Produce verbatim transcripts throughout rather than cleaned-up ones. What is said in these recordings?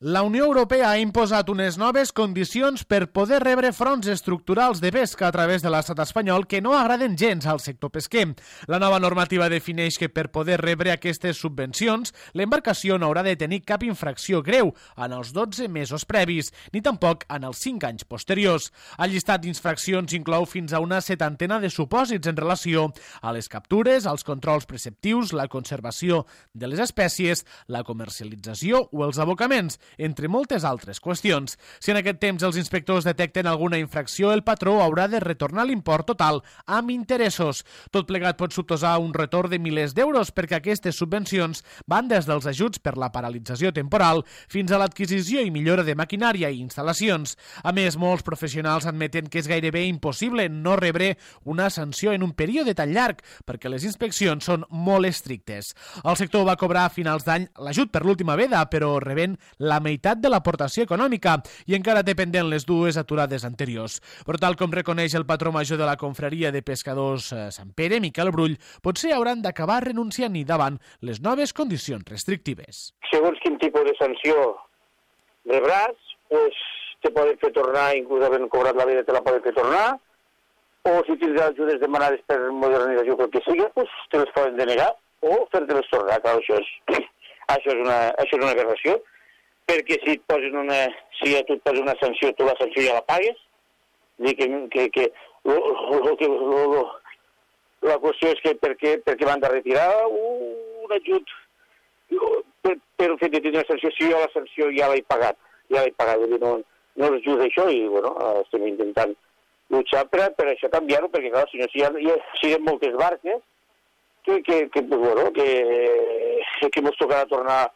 La Unió Europea ha imposat unes noves condicions per poder rebre fronts estructurals de pesca a través de l'estat espanyol que no agraden gens al sector pesquer. La nova normativa defineix que per poder rebre aquestes subvencions, l'embarcació no haurà de tenir cap infracció greu en els dotze mesos previs, ni tampoc en els cinc anys posteriors. El llistat d'infraccions inclou fins a una setantena de supòsits en relació a les captures, als controls preceptius, la conservació de les espècies, la comercialització o els abocaments, entre moltes altres qüestions. Si en aquest temps els inspectors detecten alguna infracció, el patró haurà de retornar l'import total amb interessos. Tot plegat pot suposar un retorn de milers d'euros perquè aquestes subvencions van des dels ajuts per la paralització temporal fins a l'adquisició i millora de maquinària i instal·lacions. A més, molts professionals admeten que és gairebé impossible no rebre una sanció en un període tan llarg perquè les inspeccions són molt estrictes. El sector va cobrar a finals d'any l'ajut per l'última veda, però rebent la meitat de l'aportació econòmica i encara té pendent les dues aturades anteriors. Però tal com reconeix el patró major de la confraria de pescadors Sant Pere, Miquel Brull, potser hauran d'acabar renunciant-hi davant les noves condicions restrictives. Segons quin tipus de sanció rebràs, pues, te poden fer tornar, inclús havent cobrat la vida te la poden fer tornar, o si tens ajudes demanades per modernització o el que sigui, pues, te les poden denegar o fer-te-les tornar. Clar, això és, això és una, això és una aberració, perquè si et posen una, si a tu et posen una sanció, tu la sanció ja la pagues. Dir que, que, que, lo, lo, que lo, lo, la qüestió és que per què, per què m'han de retirar un ajut per, per el fet de tenir una sanció, si jo la sanció ja l'he pagat, ja l'he pagat, vull dir, no, no els ajuda això i, bueno, estem intentant luchar per, per això canviar-ho, perquè, clar, si no, si hi ha, hi ha, si hi ha moltes barques que, que, que, pues, bueno, que, que mos tocarà tornar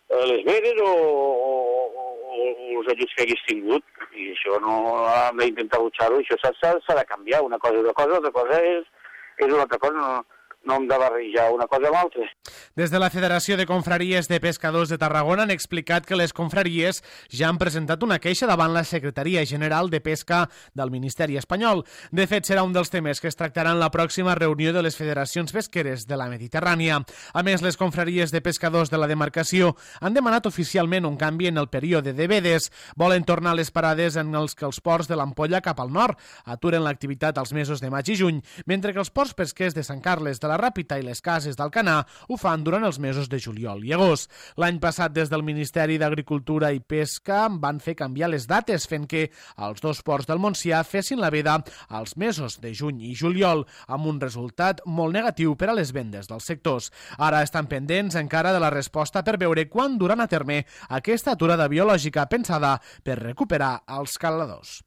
les veres o, o, o els ajuts que hagués tingut, i això no hem d'intentar luchar-ho, això s'ha de canviar, una cosa és una cosa, altra cosa és, és una altra cosa, no, no hem de barrejar una cosa amb l'altra. Des de la Federació de Confraries de Pescadors de Tarragona han explicat que les confraries ja han presentat una queixa davant la Secretaria General de Pesca del Ministeri espanyol. De fet, serà un dels temes que es tractaran en la pròxima reunió de les federacions pesqueres de la Mediterrània. A més, les confraries de pescadors de la demarcació han demanat oficialment un canvi en el període de vedes. Volen tornar a les parades en els que els ports de l'Ampolla cap al nord aturen l'activitat als mesos de maig i juny, mentre que els ports pesquers de Sant Carles de la Ràpita i les cases d'Alcanar ho fan durant els mesos de juliol i agost. L'any passat, des del Ministeri d'Agricultura i Pesca, van fer canviar les dates, fent que els dos ports del Montsià fessin la veda als mesos de juny i juliol, amb un resultat molt negatiu per a les vendes dels sectors. Ara estan pendents encara de la resposta per veure quan duran a terme aquesta aturada biològica pensada per recuperar els caladors.